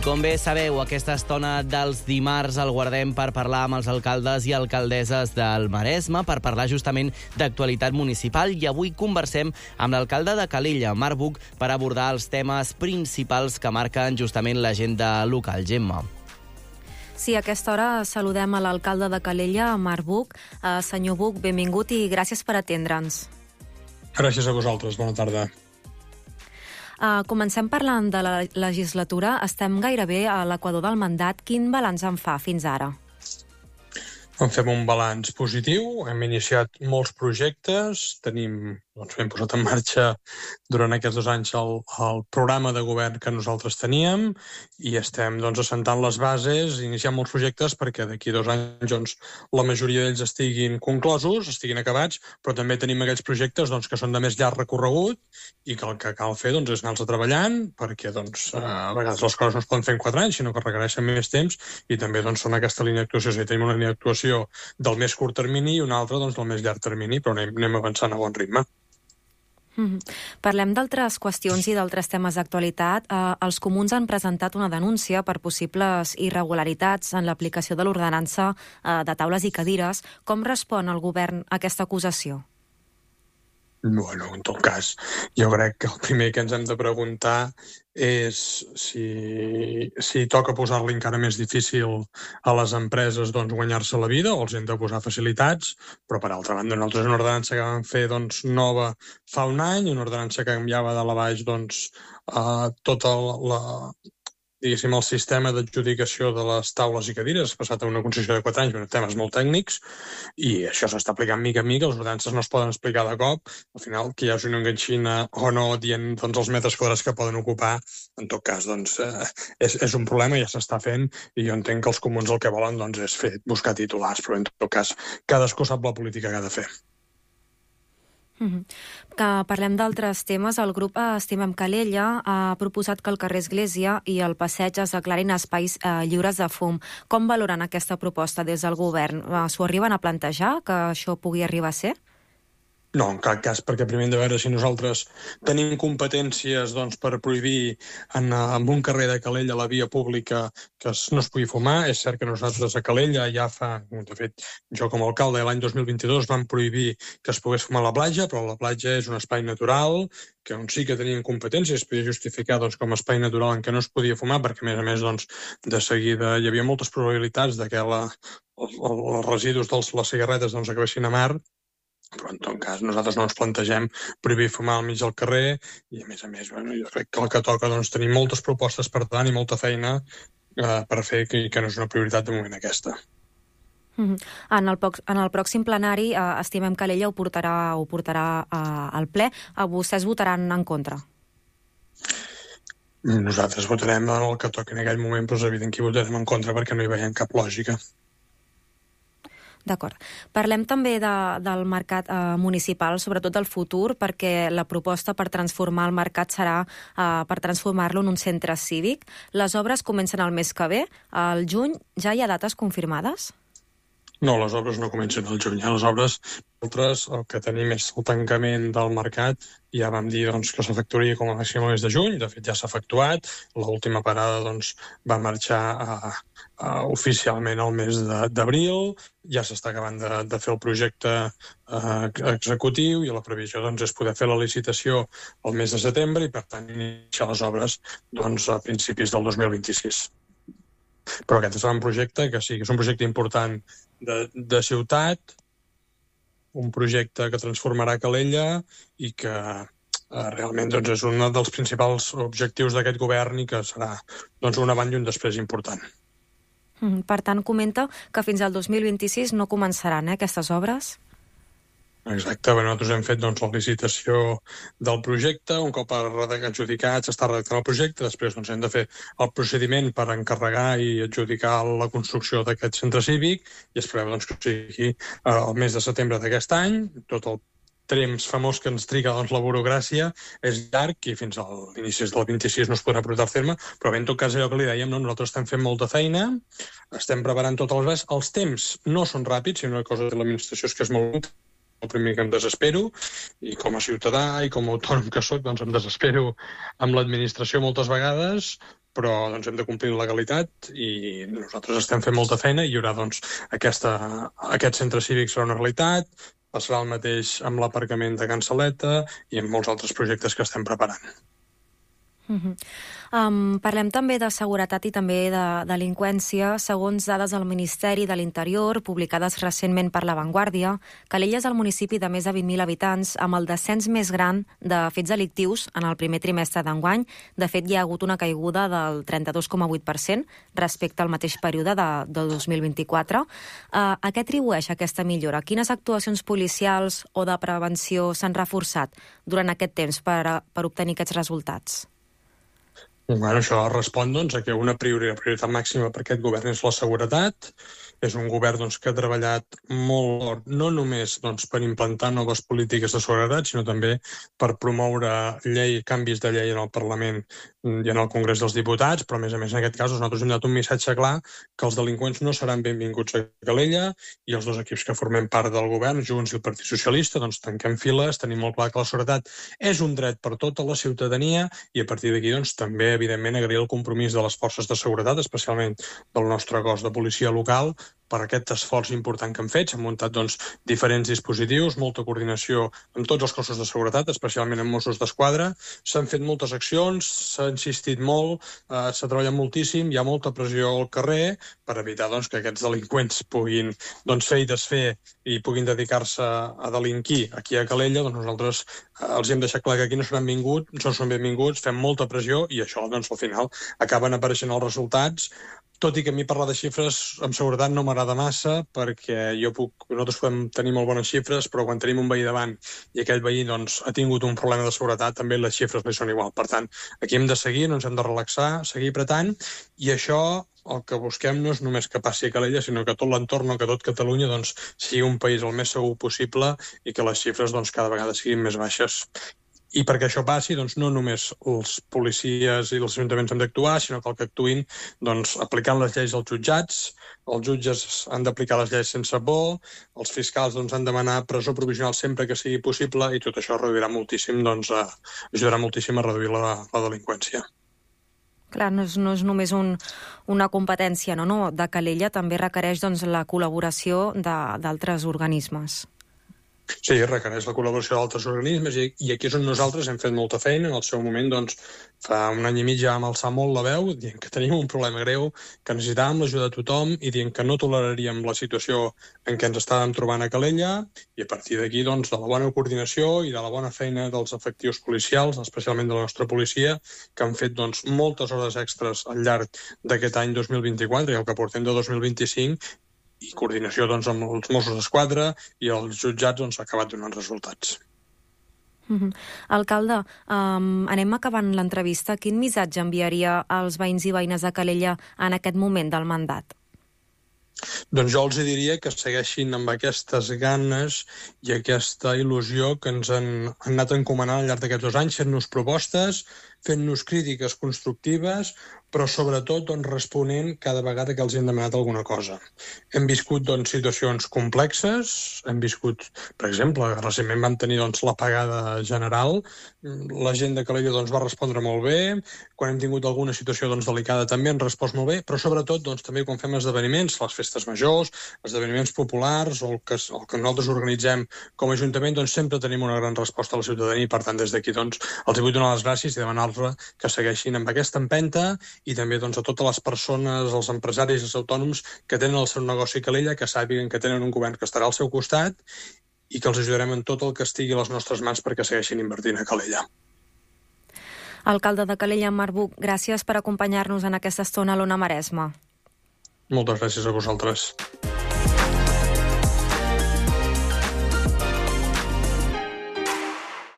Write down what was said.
com bé sabeu, aquesta estona dels dimarts el guardem per parlar amb els alcaldes i alcaldesses del Maresme, per parlar justament d'actualitat municipal, i avui conversem amb l'alcalde de Calella, Marc Buch, per abordar els temes principals que marquen justament l'agenda local. Gemma. Sí, a aquesta hora saludem a l'alcalde de Calella, Marc Buch. Senyor Buch, benvingut i gràcies per atendre'ns. Gràcies a vosaltres, bona tarda. Comencem parlant de la legislatura. Estem gairebé a l'equador del mandat. Quin balanç en fa fins ara? En fem un balanç positiu, hem iniciat molts projectes, hem posat en marxa durant aquests 2 anys el programa de govern que nosaltres teníem i estem assentant les bases, iniciant molts projectes perquè d'aquí 2 anys la majoria d'ells estiguin conclosos, estiguin acabats, però també tenim aquells projectes que són de més llarg recorregut i que el que cal fer és anar-los treballant perquè a vegades les coses no es poden fer en 4 anys, sinó que requereixen més temps i també són aquesta línia d'actuació. És a dir, tenim una línia d'actuació del més curt termini i una altra del més llarg termini, però anem avançant a bon ritme. Parlem d'altres qüestions i d'altres temes d'actualitat. Els comuns han presentat una denúncia per possibles irregularitats en l'aplicació de l'ordenança de taules i cadires. Com respon el govern a aquesta acusació? Bueno, en tot cas, jo crec que el primer que ens hem de preguntar és si toca posar-li encara més difícil a les empreses guanyar-se la vida o els hem de posar facilitats, però per altra banda nosaltres una ordenança que vam fer nova fa un any, una ordenança que canviava de la baix tota el sistema d'adjudicació de les taules i cadires, ha passat a una concessió de 4 anys, temes molt tècnics, i això s'està aplicant mica en mica, les ordenances no es poden explicar de cop, al final que hi hagi una enganxina o no dient els metres quadrats que poden ocupar, en tot cas és un problema, ja s'està fent, i jo entenc que els comuns el que volen és buscar titulars, però en tot cas cadascú sap la política que ha de fer. Que parlem d'altres temes. El grup Estimem Calella ha proposat que el carrer Església i el passeig es declarin espais lliures de fum. Com valoren aquesta proposta des del govern? S'ho arriben a plantejar, que això pugui arribar a ser? No, en cap cas, perquè primer hem de veure si nosaltres tenim competències per prohibir en un carrer de Calella la via pública que no es pugui fumar. És cert que nosaltres a Calella ja de fet, jo com a alcalde l'any 2022 vam prohibir que es pogués fumar a la platja, però la platja és un espai natural que on sí que tenim competències, es podia justificar com a espai natural en què no es podia fumar, perquè a més de seguida hi havia moltes probabilitats de que els residus de les cigarretes acabessin a mar, però en tot cas nosaltres no ens plantegem prohibir fumar al mig del carrer i a més, jo crec que el que toca tenir moltes propostes per tant i molta feina per fer que no és una prioritat de moment aquesta. En el pròxim plenari Estimem Calella ho portarà al ple. Vostès votaran en contra? Nosaltres votarem el que toqui en aquell moment, però és evident que hi votarem en contra perquè no hi veiem cap lògica. D'acord. Parlem també del mercat municipal, sobretot del futur, perquè la proposta per transformar el mercat serà per transformar-lo en un centre cívic. Les obres comencen el mes que ve. Al juny ja hi ha dates confirmades? No, les obres no comencen al juny. Les obres, nosaltres, el que tenim és el tancament del mercat. Ja vam dir que s'efectuaria com a màxim el mes de juny. De fet, ja s'ha efectuat. L'última parada va marxar oficialment al mes d'abril. Ja s'està acabant de fer el projecte executiu i la previsió és poder fer la licitació al mes de setembre i, per tant, iniciar les obres a principis del 2026. Però aquest és un projecte que sí, que és un projecte important de ciutat, un projecte que transformarà Calella i que realment és un dels principals objectius d'aquest govern i que serà un avant i un després important. Per tant, comenta que fins al 2026 no començaran aquestes obres? Exacte, nosaltres hem fet la licitació del projecte, un cop adjudicat s'està redactant el projecte, després hem de fer el procediment per encarregar i adjudicar la construcció d'aquest centre cívic i es preveu que sigui el mes de setembre d'aquest any. Tot el temps famós que ens triga la burocràcia és llarg i fins a l'inici del 26 no es podrà portar a terme, però bé, en tot cas allò que li dèiem, nosaltres estem fent molta feina, estem preparant totes les bases, els temps no són ràpids, sinó una cosa de l'administració és que és molt el primer que em desespero, i com a ciutadà i com a autònom que soc, em desespero amb l'administració moltes vegades, però doncs, hem de complir la legalitat i nosaltres estem fent molta feina i hi haurà doncs, aquest centre cívic serà una realitat, passarà el mateix amb l'aparcament de Can Saleta i amb molts altres projectes que estem preparant. Parlem també de seguretat i també de delinqüència. Segons dades del Ministeri de l'Interior, publicades recentment per La Vanguardia, Calella és el municipi de més de 20.000 habitants amb el descens més gran de fets delictius en el primer trimestre d'enguany. De fet, hi ha hagut una caiguda del 32,8% respecte al mateix període de 2024. A què atribueix aquesta millora? Quines actuacions policials o de prevenció s'han reforçat durant aquest temps per obtenir aquests resultats? Bueno, això respon doncs, a que una prioritat màxima per aquest govern és la seguretat. És un govern doncs, que ha treballat molt, no només doncs, per implantar noves polítiques de seguretat, sinó també per promoure canvis de llei en el Parlament i en el Congrés dels Diputats, però a més en aquest cas nosaltres hem donat un missatge clar que els delinqüents no seran benvinguts a Calella i els dos equips que formem part del govern, Junts i el Partit Socialista, doncs tanquem files, tenim molt clar que la seguretat és un dret per tota la ciutadania i a partir d'aquí doncs, també evidentment agrair el compromís de les forces de seguretat, especialment del nostre cos de policia local, per aquest esforç important que han fet. S'han muntat doncs, diferents dispositius, molta coordinació amb tots els cossos de seguretat, especialment amb Mossos d'Esquadra. S'han fet moltes accions, s'ha insistit molt, s'ha treballat moltíssim, hi ha molta pressió al carrer per evitar doncs, que aquests delinqüents puguin doncs, fer i desfer i puguin dedicar-se a delinquir aquí a Calella. Doncs nosaltres els hem deixat clar que aquí no són benvinguts, fem molta pressió i això doncs, al final acaben apareixent els resultats. Tot i que a mi parlar de xifres amb seguretat no m'agrada massa perquè nosaltres podem tenir molt bones xifres, però quan tenim un veí davant i aquell veí doncs, ha tingut un problema de seguretat, també les xifres li són igual. Per tant, aquí hem de seguir, no ens hem de relaxar, seguir apretant, i això el que busquem no és només que passi a Calella, sinó que tot l'entorn, que tot Catalunya doncs, sigui un país el més segur possible i que les xifres doncs, cada vegada siguin més baixes. I perquè això passi, doncs, no només els policies i els ajuntaments han d'actuar, sinó que el que actuïn doncs, aplicant les lleis als jutjats, els jutges han d'aplicar les lleis sense por, els fiscals doncs, han de demanar presó provisional sempre que sigui possible i tot això reduirà moltíssim, doncs, ajudarà moltíssim a reduir la delinqüència. Clar, no és només una competència de Calella, també requereix doncs, la col·laboració d'altres organismes. Sí, requereix la col·laboració d'altres organismes i aquí és on nosaltres hem fet molta feina. En el seu moment, doncs, fa un any i mig ja vam alçar molt la veu, dient que teníem un problema greu, que necessitàvem l'ajuda de tothom i dient que no toleraríem la situació en què ens estàvem trobant a Calella i a partir d'aquí, doncs, de la bona coordinació i de la bona feina dels efectius policials, especialment de la nostra policia, que han fet doncs, moltes hores extres al llarg d'aquest any 2024 i el que portem de 2025 i coordinació doncs, amb els Mossos d'Esquadra i els jutjats doncs, ha acabat donant resultats. Alcalde, anem acabant l'entrevista. Quin missatge enviaria als veïns i veïnes de Calella en aquest moment del mandat? Doncs jo els diria que segueixin amb aquestes ganes i aquesta il·lusió que ens han anat encomanant al llarg d'aquests 2 anys, fent-nos propostes, fent-nos crítiques constructives, però sobretot doncs, responent cada vegada que els hem demanat alguna cosa. Hem viscut doncs, situacions complexes, hem viscut, per exemple, recentment vam tenir doncs, l'apagada general, la gent de Calella doncs, va respondre molt bé, quan hem tingut alguna situació doncs, delicada també han respost molt bé, però sobretot doncs, també quan fem esdeveniments, les festes majors, esdeveniments populars o el que nosaltres organitzem com a Ajuntament, doncs, sempre tenim una gran resposta a la ciutadania i per tant des d'aquí doncs, els vull donar les gràcies i demanar-los que segueixin amb aquesta empenta i també doncs, a totes les persones, els empresaris i els autònoms que tenen el seu negoci a Calella, que sàpiguen que tenen un govern que estarà al seu costat i que els ajudarem en tot el que estigui a les nostres mans perquè segueixin invertint a Calella. Alcalde de Calella, Marc Buch, gràcies per acompanyar-nos en aquesta estona a l'Ona Maresma. Moltes gràcies a vosaltres.